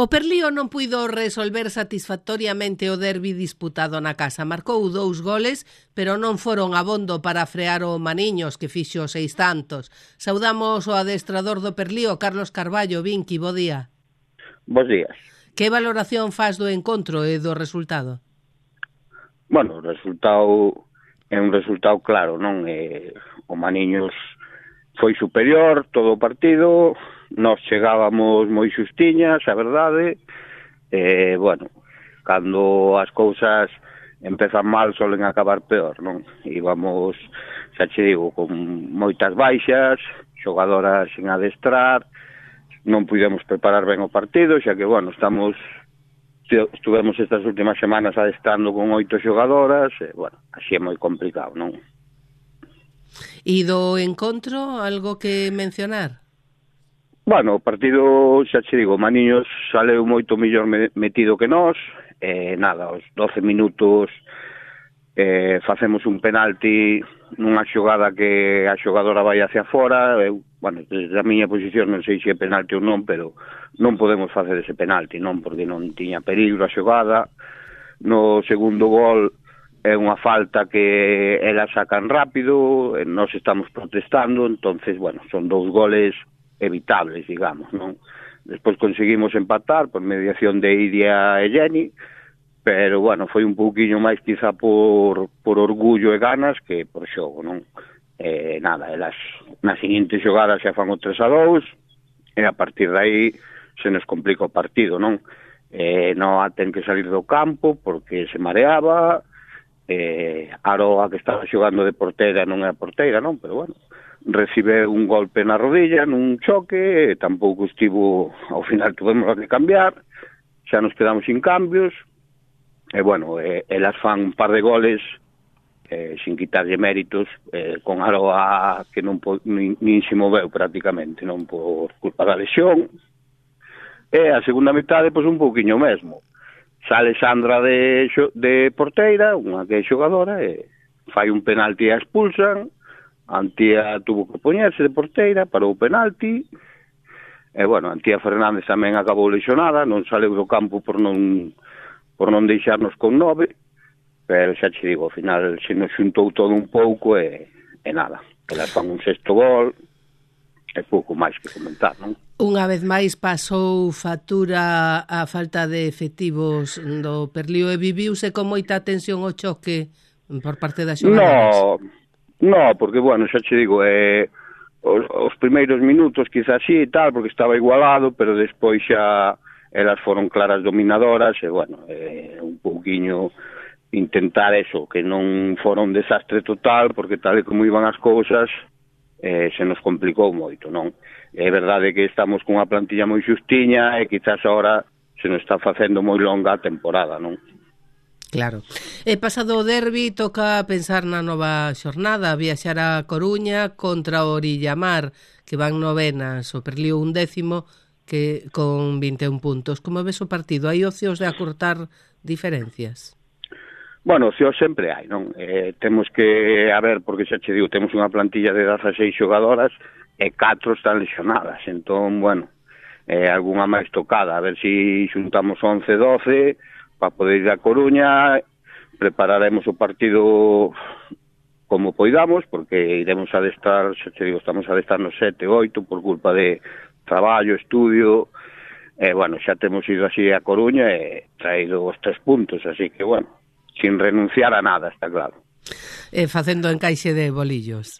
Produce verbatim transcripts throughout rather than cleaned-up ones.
O Perlío non puido resolver satisfactoriamente o derbi disputado na casa. Marcou dous goles, pero non foron abondo para frear o Maniños, que fixo seis tantos. Saudamos o adestrador do Perlío, Carlos Carballo. Vinqui, bo día. Bos días. Que valoración faz do encontro e do resultado? Bueno, o resultado é un resultado claro, non? Eh, o Maniños foi superior todo o partido, nós chegábamos moi xustiñas, a verdade, e, bueno, cando as cousas empezan mal solen acabar peor, non? Íbamos, xa che digo, con moitas baixas, xogadoras sin adestrar, non pudemos preparar ben o partido, xa que, bueno, estamos estuvemos estas últimas semanas adestrando con oito xogadoras, e, bueno, así é moi complicado, non? E do encontro, algo que mencionar? Bueno, o partido, xa che digo, Maniños saleu moito mellor metido que nós, e nada, aos doce minutos eh, facemos un penalti nunha xogada que a xogadora vai hacia fora. Eu, bueno, desde a miña posición non sei se é penalti ou non, pero non podemos facer ese penalti, non, porque non tiña perigo a xogada. No segundo gol é unha falta que elas sacan rápido, e nós estamos protestando, entonces, bueno, son dous goles evitables, digamos, non? Despois conseguimos empatar por mediación de Iria e Jenny, pero, bueno, foi un pouquiño máis quizá por, por orgullo e ganas que por xogo, non? Eh, nada, elas na seguinte xogada xa fan o tres a dous, e a partir de aí se nos complica o partido, non? Eh, non ten que salir do campo porque se mareaba, eh, Aroa, que estaba xogando de porteira, non é porteira, non? Pero, bueno, recibe un golpe na rodilla nun choque, e tampouco estivo, ao final tuvemos que cambiar, xa nos quedamos sin cambios, e bueno, eh, elas fan un par de goles eh, sin quitarlle méritos, eh, con Aroa que non po, nin, nin se moveu prácticamente, non, por culpa da lesión. E a segunda metade, pois, un pouquiño mesmo. Sale Sandra de, de porteira, unha que é xogadora, e fai un penalti e a expulsan. Antía tuvo que poñerse de porteira para o penalti, e, bueno, Antía Fernández tamén acabou lesionada, non saleu do campo por non por non deixarnos con nove, pero xa che digo, ao final se nos xuntou todo un pouco e, e nada, elas fan un sexto gol, e pouco máis que comentar, non? Unha vez máis pasou factura a falta de efectivos do Perlío e viviuse con moita tensión o choque por parte das xogadoras. No, no, porque, bueno, xa che digo, eh, os, os primeiros minutos quizás sí e tal, porque estaba igualado, pero despois xa elas foron claras dominadoras, e, bueno, eh, un pouquiño intentar eso, que non fora un desastre total, porque tal e como iban as cousas, eh, se nos complicou moito, non? É verdade que estamos cunha plantilla moi xustiña e quizás agora se nos está facendo moi longa a temporada, non? Claro. E pasado o derbi toca pensar na nova xornada, viaxar a Coruña contra o Orillamar, que van novenas, o Perlío un décimo que con vinte e un puntos. Como ves o partido? Hai opcións de acortar diferencias? Bueno, opcións sempre hai, non? Eh, temos que, a ver, porque xa che digo, temos unha plantilla de dezaseis xogadoras e catro están lesionadas, entón, bueno, eh, algunha máis tocada, a ver se si xuntamos once, doce para poder ir a Coruña. Prepararemos o partido como poidamos, porque iremos a adestrar, xa te digo, estamos a adestrar nos sete, oito, por culpa de traballo, estudio, e, bueno, xa temos ido así a Coruña e traído os tres puntos, así que, bueno, sin renunciar a nada, está claro. E facendo encaixe de bolillos.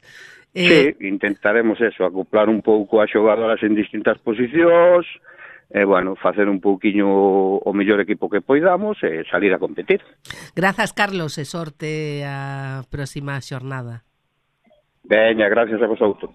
Eh... Sí, intentaremos eso, acoplar un pouco as xogadoras en distintas posicións, e, bueno, facer un pouquiño o mellor equipo que poidamos e salir a competir. Grazas, Carlos, e sorte a próxima xornada. Veña, gracias a vosotros.